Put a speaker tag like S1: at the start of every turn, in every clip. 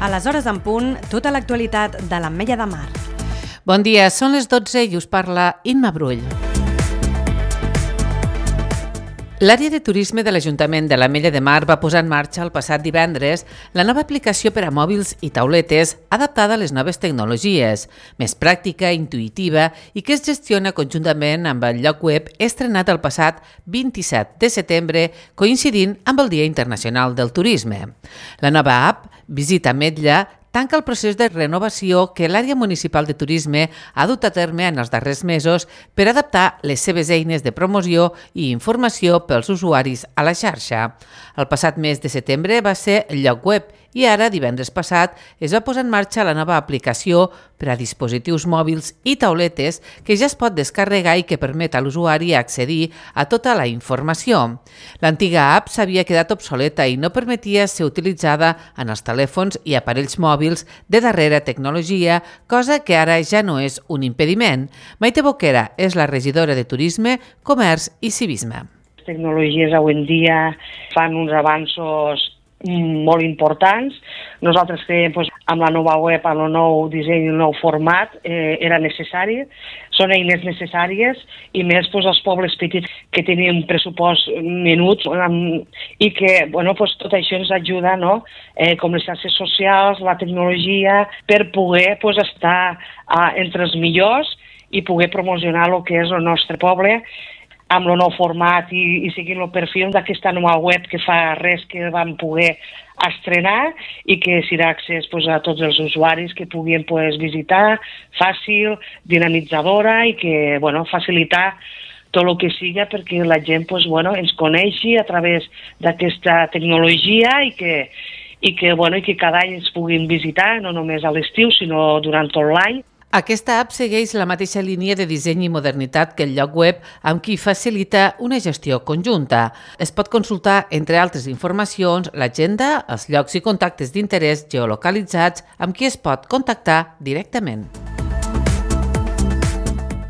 S1: A les hores en punt, tota l'actualitat de l'Ametlla de Mar.
S2: Bon dia, són les 12 i us parla Imma Brull. L'àrea de turisme de l'Ajuntament de l'Ametlla de Mar va posar en marxa el passat divendres la nova aplicació per a mòbils i tauletes adaptada a les noves tecnologies, més pràctica, intuïtiva i que es gestiona conjuntament amb el lloc web estrenat el passat 27 de setembre, coincidint amb el Dia Internacional del Turisme. La nova app, Visita Ametlla, tanca el procés de renovació que l'àrea municipal de turisme ha dut a terme en els darrers mesos per adaptar les seves eines de promoció i informació pels usuaris a la xarxa. El passat mes de setembre va ser el lloc web i ara, divendres passat, es va posar en marxa la nova aplicació per a dispositius mòbils i tauletes que ja es pot descarregar i que permet a l'usuari accedir a tota la informació. L'antiga app s'havia quedat obsoleta i no permetia ser utilitzada en els telèfons i aparells mòbils de darrera tecnologia, cosa que ara ja no és un impediment. Maite Boquera és la regidora de Turisme, Comerç i Civisme.
S3: Les tecnologies avui en dia fan uns avanços molt importants. Nosaltres creiem que amb la nova web, amb el nou disseny i el nou format era necessari. Són eines necessàries i més als pobles petits que tenien un pressupost menut i que tot això ens ajuda, com les xarxes socials, la tecnologia, per poder estar entre els millors i poder promocionar el que és el nostre poble amb el nou format i seguint el perfil d'aquesta nova web que fa res que vam poder estrenar i que serà accés a tots els usuaris que puguin visitar, fàcil, dinamitzadora i que facilitar tot el que siga perquè la gent ens coneixi a través d'aquesta tecnologia i que cada any ens puguin visitar, no només a l'estiu, sinó durant tot l'any.
S2: Aquesta app segueix la mateixa línia de disseny i modernitat que el lloc web, amb qui facilita una gestió conjunta. Es pot consultar, entre altres informacions, l'agenda, els llocs i contactes d'interès geolocalitzats amb qui es pot contactar directament.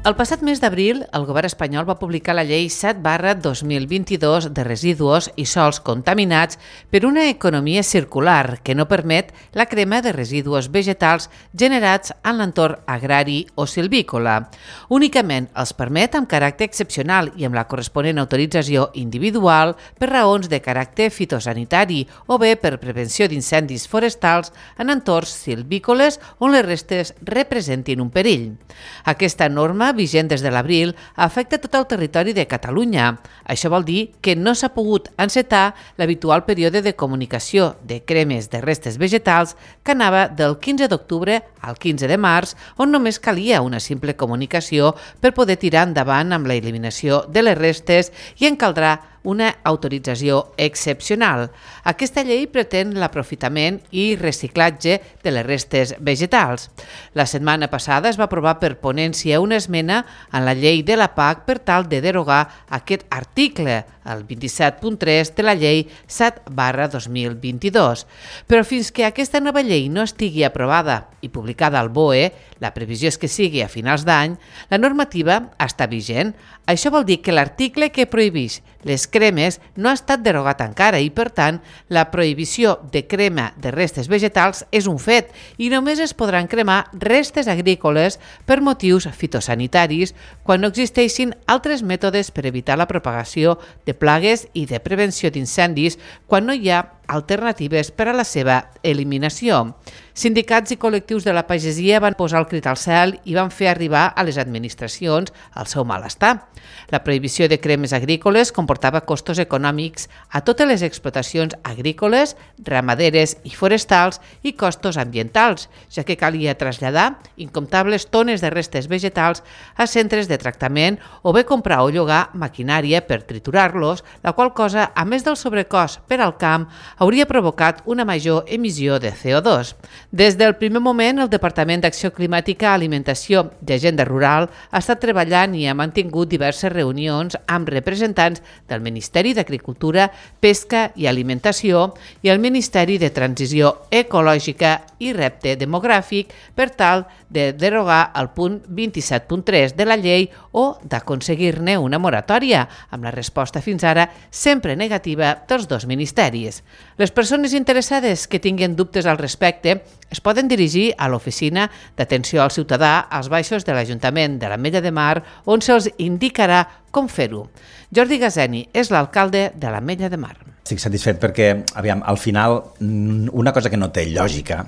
S2: El passat mes d'abril, el govern espanyol va publicar la llei 7/2022 de residus i sòls contaminats per una economia circular que no permet la crema de residus vegetals generats en l'entorn agrari o silvícola. Únicament els permet amb caràcter excepcional i amb la corresponent autorització individual per raons de caràcter fitosanitari o bé per prevenció d'incendis forestals en entorns silvícoles on les restes representin un perill. Aquesta norma, vigent des de l'abril, afecta tot el territori de Catalunya. Això vol dir que no s'ha pogut encetar l'habitual període de comunicació de cremes de restes vegetals que anava del 15 d'octubre al 15 de març, on només calia una simple comunicació per poder tirar endavant amb la eliminació de les restes i en caldrà una autorització excepcional. Aquesta llei pretén l'aprofitament i reciclatge de les restes vegetals. La setmana passada es va aprovar per ponència una esmena en la llei de la PAC per tal de derogar aquest article, el 27.3 de la llei 7/2022. Però fins que aquesta nova llei no estigui aprovada i publicada al BOE, la previsió és que sigui a finals d'any, la normativa està vigent. Això vol dir que l'article que prohibeix les cremes no ha estat derogat encara i, per tant, la prohibició de crema de restes vegetals és un fet i només es podran cremar restes agrícoles per motius fitosanitaris quan no existeixin altres mètodes per evitar la propagació de plagues i de prevenció d'incendis quan no hi ha alternatives per a la seva eliminació. Sindicats i col·lectius de la pagesia van posar el crit al cel i van fer arribar a les administracions el seu malestar. La prohibició de cremes agrícoles comportava costos econòmics a totes les explotacions agrícoles, ramaderes i forestals i costos ambientals, ja que calia traslladar incomptables tones de restes vegetals a centres de tractament o bé comprar o llogar maquinària per triturar-los, la qual cosa, a més del sobrecost per al camp, hauria provocat una major emissió de CO2. Des del primer moment, el Departament d'Acció Climàtica, Alimentació i Agenda Rural ha estat treballant i ha mantingut diverses reunions amb representants del Ministeri d'Agricultura, Pesca i Alimentació i el Ministeri de Transició Ecològica i Repte Demogràfic per tal de derogar el punt 27.3 de la llei o d'aconseguir-ne una moratòria, amb la resposta fins ara sempre negativa dels dos ministeris. Les persones interessades que tinguin dubtes al respecte es poden dirigir a l'Oficina d'Atenció al Ciutadà als baixos de l'Ajuntament de l'Ametlla de Mar, on se'ls indicarà com fer-ho. Jordi Gazeni és l'alcalde de l'Ametlla de Mar.
S4: Estic satisfet perquè, al final, una cosa que no té lògica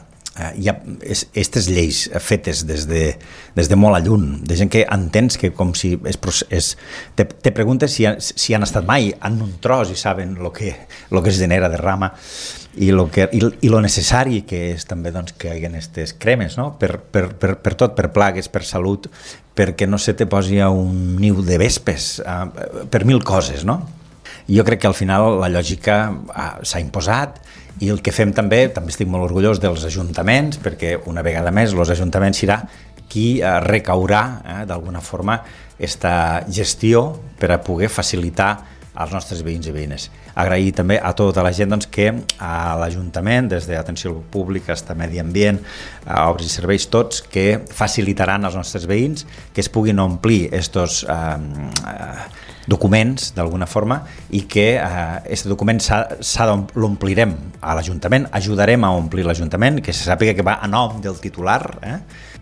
S4: hi ha aquestes lleis fetes des de molt a lluny, de gent que entens que com si te preguntes si han estat mai en un tros i saben el que es genera de rama i lo necessari que és també que hi hagi aquestes cremes, no? per tot, per plagues, per salut, perquè no se te posi a un niu de vespes, per mil coses, no? Jo crec que al final la lògica s'ha imposat i el que fem també estic molt orgullós dels ajuntaments, perquè una vegada més els ajuntaments serà qui recaurà d'alguna forma aquesta gestió per a poder facilitar als nostres veïns i veïnes. Agrair també a tota la gent que a l'Ajuntament, des d'Atenció Pública fins a Medi Ambient, a Obres i Serveis, tots que facilitaran als nostres veïns que es puguin omplir estos documents d'alguna forma i que aquest document l'omplirem a l'Ajuntament, ajudarem a omplir l'Ajuntament, que se sàpiga que va a nom del titular,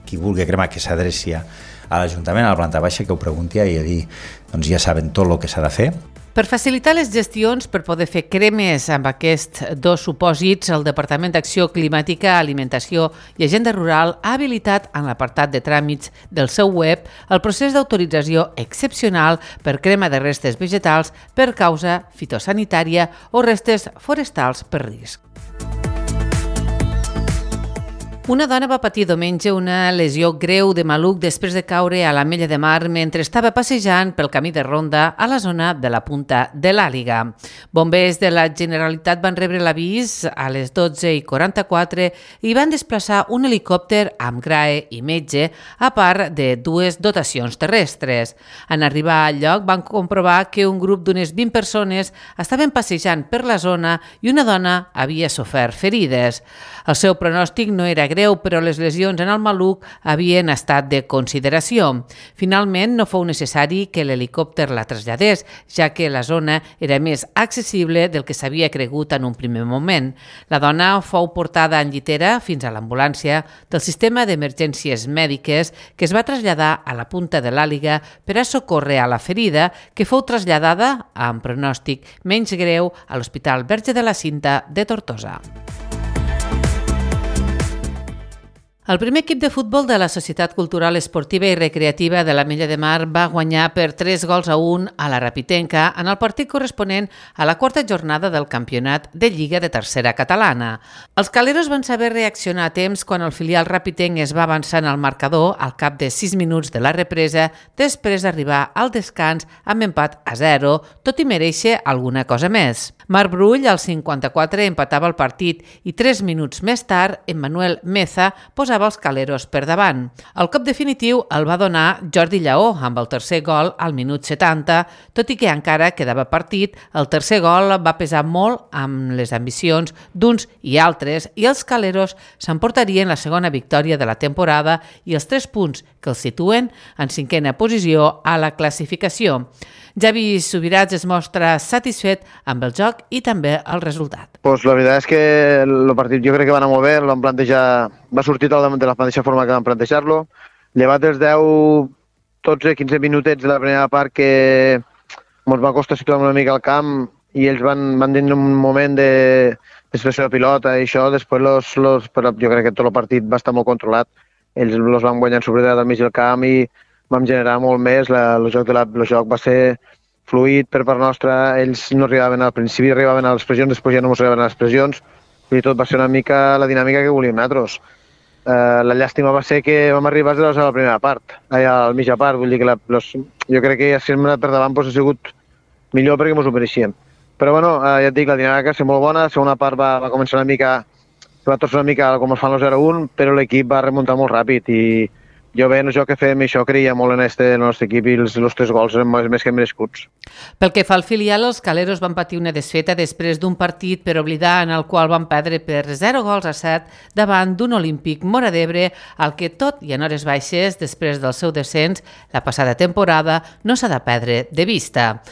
S4: qui vulgui cremar que s'adreci a l'Ajuntament, a la planta baixa, que ho pregunti i a dir, doncs ja saben tot el que s'ha de fer.
S2: Per facilitar les gestions per poder fer cremes amb aquests dos supòsits, el Departament d'Acció Climàtica, Alimentació i Agenda Rural ha habilitat en l'apartat de tràmits del seu web el procés d'autorització excepcional per crema de restes vegetals per causa fitosanitària o restes forestals per risc. Una dona va patir diumenge una lesió greu de maluc després de caure a l'Ametlla de Mar mentre estava passejant pel camí de ronda a la zona de la Punta de l'Àliga. Bombers de la Generalitat van rebre l'avís a les 12:44 i van desplaçar un helicòpter amb GRAE i metge, a part de dues dotacions terrestres. En arribar al lloc van comprovar que un grup d'unes 20 persones estaven passejant per la zona i una dona havia sofert ferides. El seu pronòstic no era greu, però les lesions en el maluc havien estat de consideració. Finalment, no fou necessari que l'helicòpter la traslladés, ja que la zona era més accessible del que s'havia cregut en un primer moment. La dona fou portada en llitera fins a l'ambulància del sistema d'emergències mèdiques, que es va traslladar a la Punta de l'Àliga per a socórrer a la ferida, que fou traslladada amb pronòstic menys greu a l'Hospital Verge de la Cinta de Tortosa. El primer equip de futbol de la Societat Cultural Esportiva i Recreativa de l'Ametlla de Mar va guanyar per 3-1 a la Rapitenca en el partit corresponent a la quarta jornada del campionat de Lliga de Tercera Catalana. Els caleros van saber reaccionar a temps quan el filial rapitenc es va avançar en el marcador al cap de 6 minuts de la represa després d'arribar al descans amb empat a 0, tot i mereixer alguna cosa més. Marc Brull, al 54, empatava el partit i 3 minuts més tard, Emmanuel Meza posava els caleros per davant. El cop definitiu el va donar Jordi Lleó amb el tercer gol al minut 70, tot i que encara quedava partit, el tercer gol va pesar molt amb les ambicions d'uns i altres i els caleros s'emportarien la segona victòria de la temporada i els 3 punts que els situen en 5a posició a la classificació. Javi Subirats es mostra satisfet amb el joc i també el resultat.
S5: La veritat és que el partit jo crec que va anar molt bé, el vam plantejar, va sortir de la mateixa forma que vam plantejar-lo, llevat els 10, 12, 15 minutets de la primera part que ens va costar situar una mica al camp i ells van tenir un moment d'expressió de pilota i això, després jo crec que tot el partit va estar molt controlat, ells els van guanyar en superioritat al mig del camp i vam generar molt més, el joc va ser fluid per part nostra, ells no arribaven al principi, arribaven a les pressions, després ja no ens arribaven a les pressions, i tot va ser una mica la dinàmica que volíem nosaltres. La llàstima va ser que vam arribar a la primera part, a la mitja part, vull dir que jo crec que si hem anat per davant ha sigut millor perquè ens ho mereixíem. Però bueno, ja et dic, la dinàmica va ser molt bona, la segona part va començar una mica, va tornar una mica com es fan el 0-1, però l'equip va remuntar molt ràpid i jo bé, en el joc que fem, això creia molt en el nostre equip i els 3 gols eren més que merescuts.
S2: Pel que fa al filial, els caleros van patir una desfeta després d'un partit per oblidar en el qual van perdre per 0-7 davant d'un Olímpic Móra d'Ebre, al que tot i en hores baixes, després del seu descens la passada temporada, no s'ha de perdre de vista.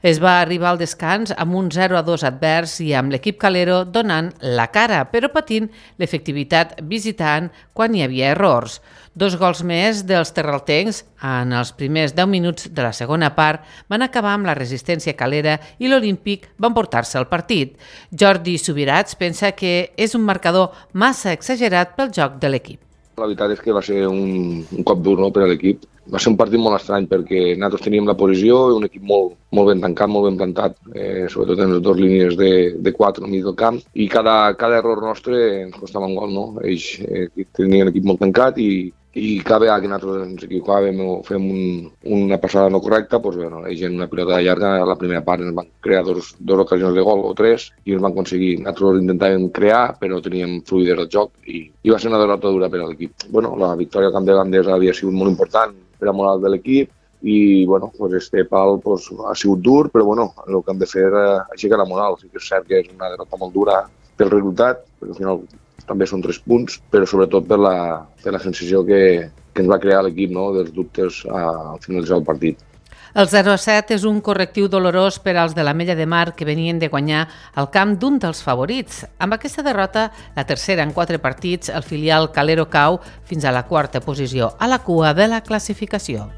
S2: Es va arribar al descans amb un 0-2 advers i amb l'equip calero donant la cara, però patint l'efectivitat visitant quan hi havia errors. 2 gols més dels terraltencs en els primers 10 minuts de la segona part van acabar amb la resistència calera i l'Olímpic va emportar-se el partit. Jordi Subirats pensa que és un marcador massa exagerat pel joc de l'equip.
S6: La veritat és que va ser un cop dur, no, per a l'equip. Va ser un partit molt estrany perquè nosaltres teníem la posició, un equip molt ben tancat, molt ben plantat, sobretot en les 2 línies de 4 al mig del camp, i cada error nostre ens costava un gol, no? Ells tenien l'equip molt tancat i cada vegada que nosaltres ens equivocàvem o fem una passada no correcta, doncs, bueno, ells en una pilota llarga, a la primera part ens van crear dos ocasions de gol o 3 i ens van aconseguir. Nosaltres intentàvem crear, però teníem fluïdesa del joc i va ser una derrota dura per a l'equip. Bueno, la victòria al camp de Gandesa havia sigut molt important per a moral de l'equip i bueno, pues este pal pues, ha sigut dur, però bueno, el que hem de fer és aixecar la moral. Sí que és cert que és una derrota molt dura pel resultat, perquè al final també són 3 punts, però sobretot per la sensació que ens va crear l'equip, no? Dels dubtes al finalitzar el partit.
S2: El 0-7 és un correctiu dolorós per als de l'Ametlla de Mar que venien de guanyar al camp d'un dels favorits. Amb aquesta derrota, la tercera en 4 partits, el filial calero cau fins a la 4a posició, a la cua de la classificació.